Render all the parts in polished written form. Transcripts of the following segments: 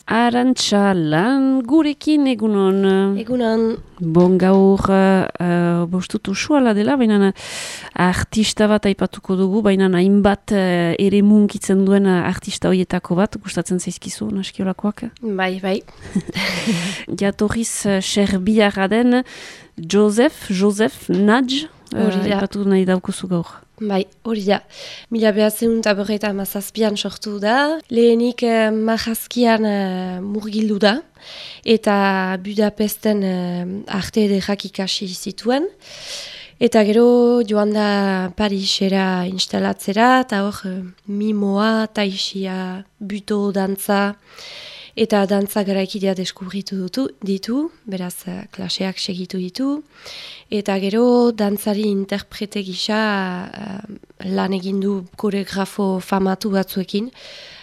Arantxa lan gurekin egunon. Egunon. Bon gaur bostut usuala dela, baina artista bat aipatuko dugu, baina hainbat ere munkitzen duen artista horietako bat, gustatzen zaizkizu, naskiolakoak? Bai. Jatorriz serbiarra den Josef Nagy, aipatu nahi daukuzu gaur. Bai, hori da. 1957an sortu da. Lehenik Mahaskian murgildu da. Eta Budapesten arte ederrak ikasi zituen. Eta gero joan da Parisera instalatzera, eta hor mimoa, taixia, buto, dantza, eta dantza garaikidea deskubritu ditu, beraz klaseak segitu ditu. Eta gero dantzari interprete gisa lan egindu koreografo famatu batzuekin,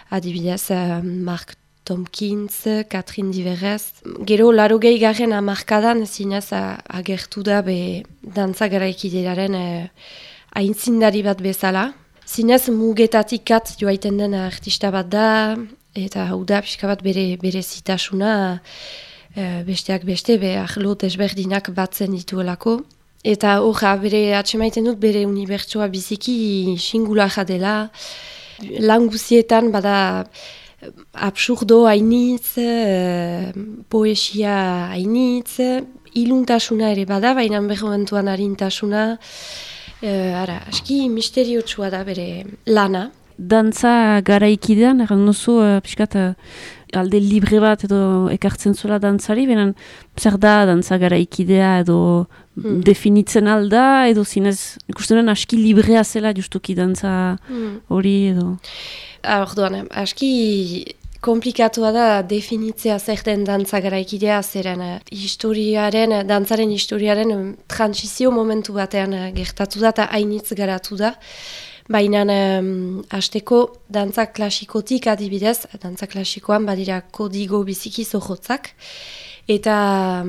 adibidez Mark Tompkins, Catherine Diverez. Gero 80. hamarkadan zinez agertu da be dantza garaikidearen aintzindari bat bezala. Zinez mugetatik joaiten den artista bat da, eta hau da pixka bat bere zitasuna, besteak beste, arlo desberdinak batzen dituelako. Eta horra, bere atsemaiten dut, bere unibertsoa biziki singularra dela. Lan guzietan bada absurdo hainitz, poesia hainitz, iluntasuna ere bada, baina momentuan harintasuna, aski misteriotsua da bere lana. Dantza garaikidean, erran duzu, pixkat, alde libre bat edo ekartzen zuela dantzari, benen zer da dantza garaikidea edo definitzen alda, edo zinez, ikusten aski librea zela justuki dantza hori edo. Orduan, aski komplikatua da definitzea zer den dantza garaikidea, zeren dantzaren historiaren transizio momentu batean gertatu da eta hainitz garatu da. Baina hasteko dantza klasikotik adibidez, dantza klasikoan badira kodigo biziki zohotzak, eta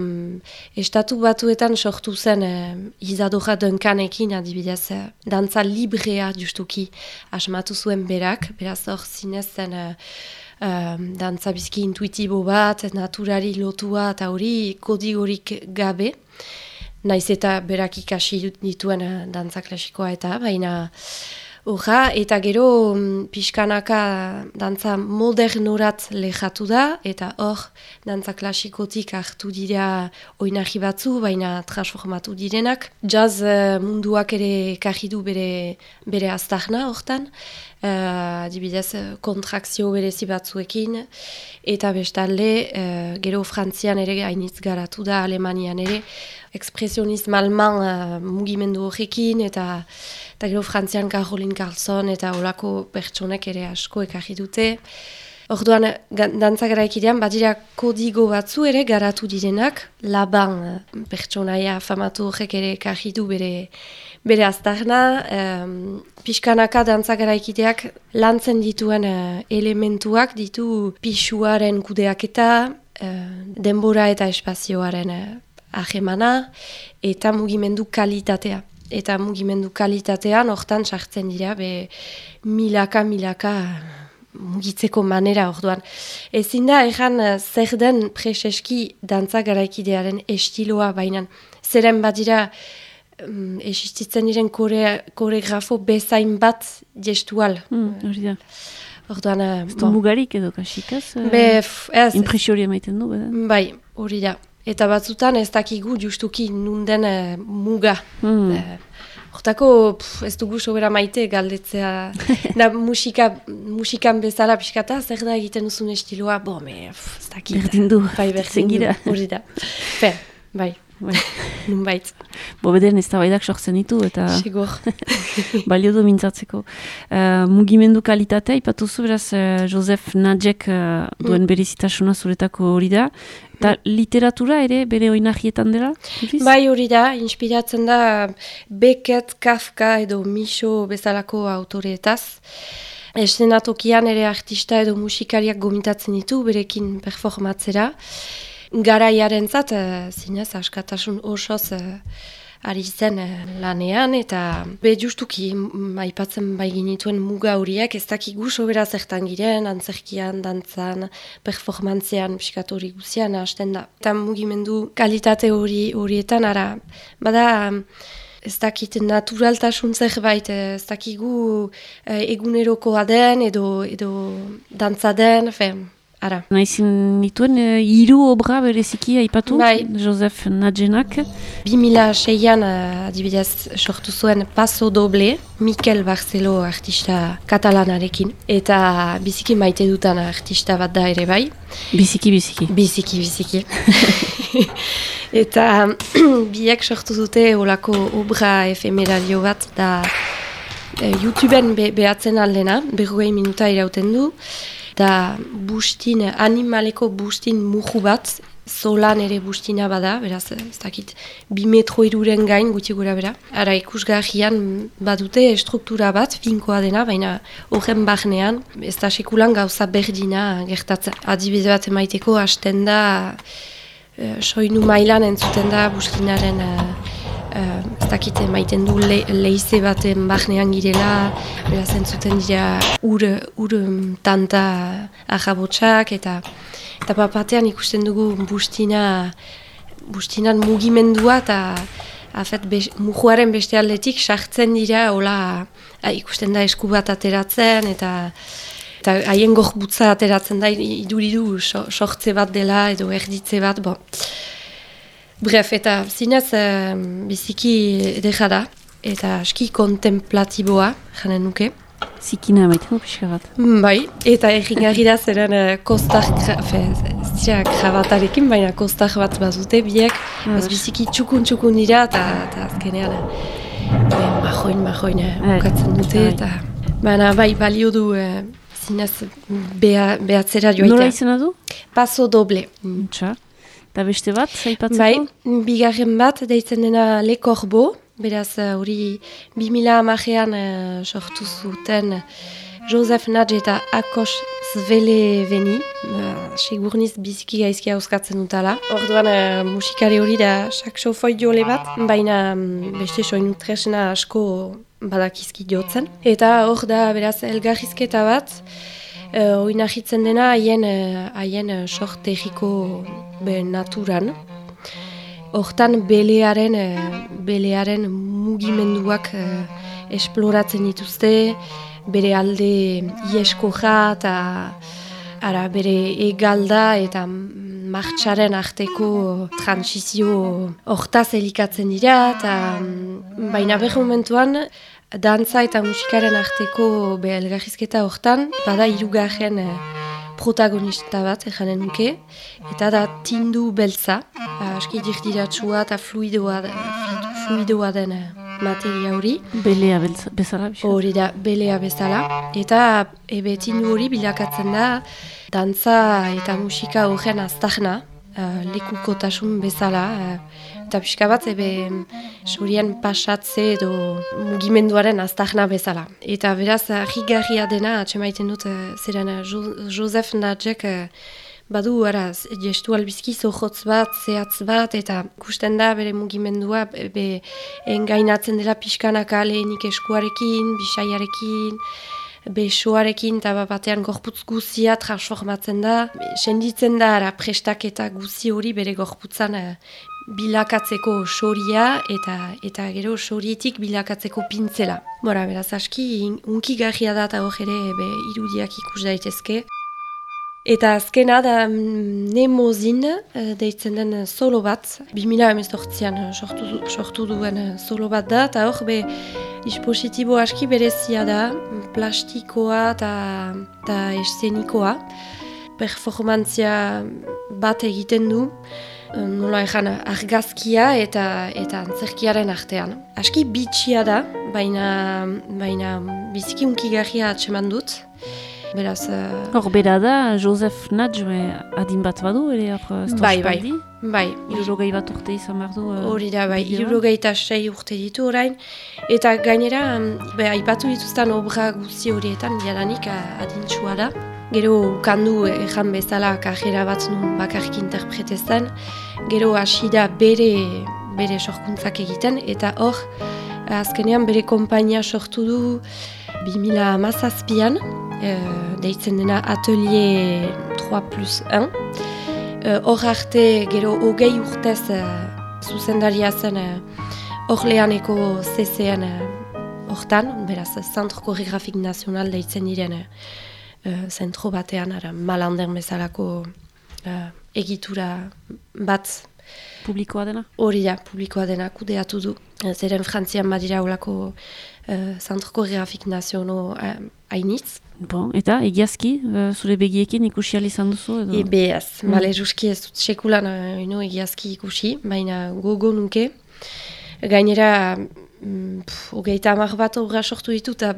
estatu batuetan sortu zen Isadora Duncanekin adibidez, dantza librea justuki asmatu zuen berak, beraz hor zinez zen dantza biziki intuitibo bat, naturari lotua eta hori kodigorik gabe, naiz eta berak ikasi dituen dantza klasikoa eta baina horra, eta gero pixkanaka dantza modernorat lehatu da, eta hor dantza klasikotik hartu dira oinarri batzu, baina transformatu direnak. Jazz munduak ere ekarri du bere aztarna hortan, adibidez kontrakzio berezi batzuekin, eta bestalde gero Frantzian ere hainitz garatu da, Alemanian ere, ekspresionism alman mugimendu horrekin, eta gero Frantzian Caroline Carlson eta olako pertsonek ere asko ekarri dute. Orduan, dantza garaikidean badira kodigo batzu ere garatu direnak, Laban pertsonaia famatu horrek ere ekarri du bere aztarna, pixkanaka dantza garaikideak lantzen dituen elementuak ditu pisuaren kudeaketa, denbora eta espazioaren ahemana, eta mugimendu kalitatea. Eta mugimendu kalitatean hortan sartzen dira milaka mugitzeko manera orduan. Ezin da erran zer den preseski dantza garaikidearen estiloa, baina zeren badira existitzen diren koreografo bezain bat gestual. Hori da. Orduan, mugarik edo kasikaz? Impresiori emaiten du, beda? Bai, hori da. Eta batzutan ez dakigu justuki nunden muga. Hortako ez dugu sobera maite galdetzea. Musikan bezala pixkata, zer da egiten duzun estiloa? Ez dakit. Berdin du. Bai, berdin du. Hori da. Bai. Nunbait. Beden ez da baidak sortzen ditu eta Sigur. balio du mintzatzeko. Mugimendu kalitatea, ipatuzu beraz Josef Nagyek duen berezitasuna zuretako hori da. Eta literatura ere bere oinarrietan dela? Bai, hori da, inspiratzen da Beckett, Kafka edo Micho bezalako autoreetaz. Eszenatokian ere artista edo musikariak gomitatzen ditu berekin performatzera. Garaiaren zat, zinez, askatasun osoz ari zen lanean, eta justuki aipatzen bai ginituen muga horiek, ez dakigu sobera zertan giren, antzerkian, dantzan, performantzean, psikatorik guzian, hasten da. Eta mugimendu kalitate horietan, ara, bada, ez dakit naturaltasun zerbait, ez dakigu egunerokoa den edo dantza den, ara. Naizin nituen 3 obra bereziki aipatu, bai. Josef Nadjenak. 2006an adibidez sortu zuen Paso Doble, Mikel Barcelo artista katalanarekin, eta biziki maite dutan artista bat da ere bai. Biziki. Biziki. Eta biek sortu dute olako obra efemerario bat da YouTubeen behatzen aldena, 40 minuta irauten du, da bustin, animaleko bustin muju bat, zolan ere bustina bada, beraz, ez dakit, 2 metro 3 gain guti gura bera. Ara ikusgarrian badute struktura bat, finkoa dena, baina horren barnean, ez da sekulan gauza berdina gertatzen. Adibide bat emaiteko hasten da, soinu mailan entzuten da bustinaren, ez dakit emaiten du leize baten barnean girela, beraz entzuten dira ur tanta ahabotsak, eta batean ikusten dugu bustinan mugimendua, eta mujuaren beste aldetik sartzen dira, hola ikusten da esku bat ateratzen, eta haien gorputza ateratzen da, iduridu sortze bat dela, edo erditze bat, bo. Bref, eta zinez biziki edera da, eta aski kontemplatiboa, janen nuke. Zikina emaiten pixka bat. Bai, eta egingarri da zeren krabatarekin, baina kostak bat dute biek, biziki txukun dira, eta azkenean majoin bukatzen dute, eta baina bai, balio du zinez behatzera joaitea. Nola izena du? Paso Doble. Eta beste bat, zaipatzeko? Bai, bigarren bat, deitzen dena Le Corbeau, beraz hori 2010an sortu zuten Josef Nadje eta Akos Zveleveni, segurniz biziki gaizki hauskatzen dutala. Orduan musikari hori da saxofoi jole bat, baina beste soinu tresna asko badakizki jotzen. Eta hor da beraz elgarrizketa bat, oinahitzen dena haien sortegiko naturan. Hortan belearen mugimenduak esploratzen dituzte, bere alde ieskoja eta bere egalda eta martxaren arteko transizio hortaz elikatzen dira, eta baina behar momentuan dantza eta musikaren arteko elgarrizketa hortan, bada 3. protagonista bat, janen nuke, eta da tindu beltza, aski dirtiratsua eta fluidoa den materia hori. Belea bezala? Hori da, belea bezala. Eta tindu hori bilakatzen da, dantza eta musika horren aztarna, lekukotasun bezala, eta pixka bat sorien pasatze edo mugimenduaren aztarna bezala. Eta beraz, higarria dena, atxemaiten dut, zeren Josef Nadjek badu, gestual bizki zohotz bat, zehatz bat, eta ikusten da bere mugimendua engainatzen dela pixkanaka lehenik eskuarekin, bisaiarekin, besoarekin, eta batean gorputz guzia transformatzen da. Senditzen da prestaketa guzi hori bere gorputzan bilakatzeko soria eta gero sorietik bilakatzeko pintzela. Beraz aski unkigarria da eta hor ere irudiak ikus daitezke. Eta azkena da Nemozin deitzen den solo bat, 2018an sortu duen solo bat da, eta hor dispositibo aski berezia da, plastikoa eta eszenikoa. Performantzia bat egiten du, nola egan argazkia eta antzerkiaren artean. Aski bitxia da, baina biziki unkigarria atseman dut. Beraz... Hor bera da, Josef Nadje adin bat badu, ere hor Bai. 60 bat urte izan behar du. Hori da, 66 urte ditu orain. Eta gainera, aipatu dituzten obra guzi horietan, jadanik adintsua da. Gero kandu ejan bezala kajera bat nun bakarrik interpretezen. Gero hasi da bere bere sorkuntzak egiten, eta hor, azkenean bere konpainia sortu du 2017an, deitzen dena Atelier 3+1. Hor arte gero 20 urtez zuzendaria zen Orleaneko CCN hortan, beraz, Centre Chorégraphique National deitzen diren zentro batean, Malander bezalako egitura bat. Publikoa dena? Hori da, publikoa dena, kudeatu du. Zeren Frantzian badira olako Centre Chorégraphique National hainitz. Bon, eta egiazki, zure begiekin ikusi izan duzu? Edo? Beaz, maleruski ez dut sekulan egiazki ikusi, baina gogo nuke. Gainera, 30 bat obra sortu ditu, eta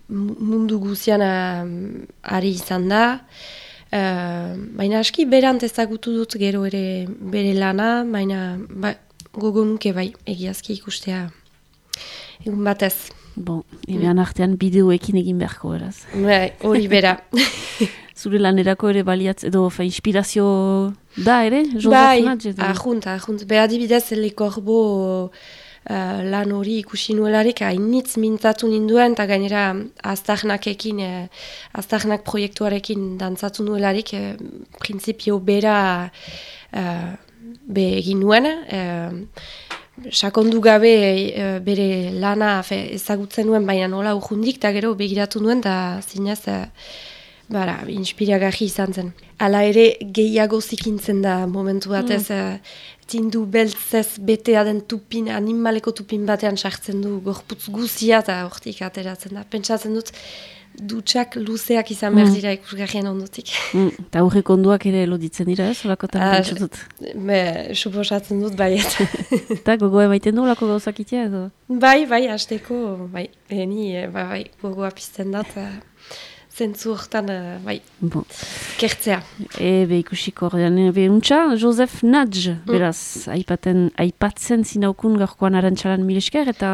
mundu guzian ari izan da. Baina aski berant ezagutu dut gero ere bere lana, baina gogo nuke bai egiazki ikustea egun batez. Bon, ebean artean bideoekin egin beharko, eraz. Hori bera. Zure lanerako ere baliatz, edo inspirazio da ere? Bai, ahunt. Be adibidez, Le Corbeau lan hori ikusi nuelarik, hainitz mintzatu ninduen, eta gainera aztarnak proiektuarekin dantzatu nuelarik, printzipio bera egin nuen, sakondu gabe bere lana ezagutzen nuen, baina nola urrundik, eta gero begiratu nuen, eta zinez inspiragarri izan zen. Hala ere gehiago zikintzen da momentu batez, tindu beltzez betea den tupin, animaleko tupin batean sartzen du gorputz guzia eta hortik ateratzen da. Pentsatzen dut dutxak luzeak izan behar dira ikusgarrien ondotik. Eta horrek onduak ere loditzen dira, ez? Olakotan pentsatut? Suposatzen dut, bai. Eta gogoa emaiten du olako gauzak itea edo? Bai, hasteko, gogoa pizten dat. Zentzu hortan, kertzea. Ikusiko horrean, untxa, Joseph Nudge, beraz, aipatzen zinaukun gaurkoan Arantxalan mil esker eta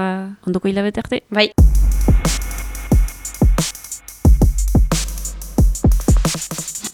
ondoko hilabete arte. Bai.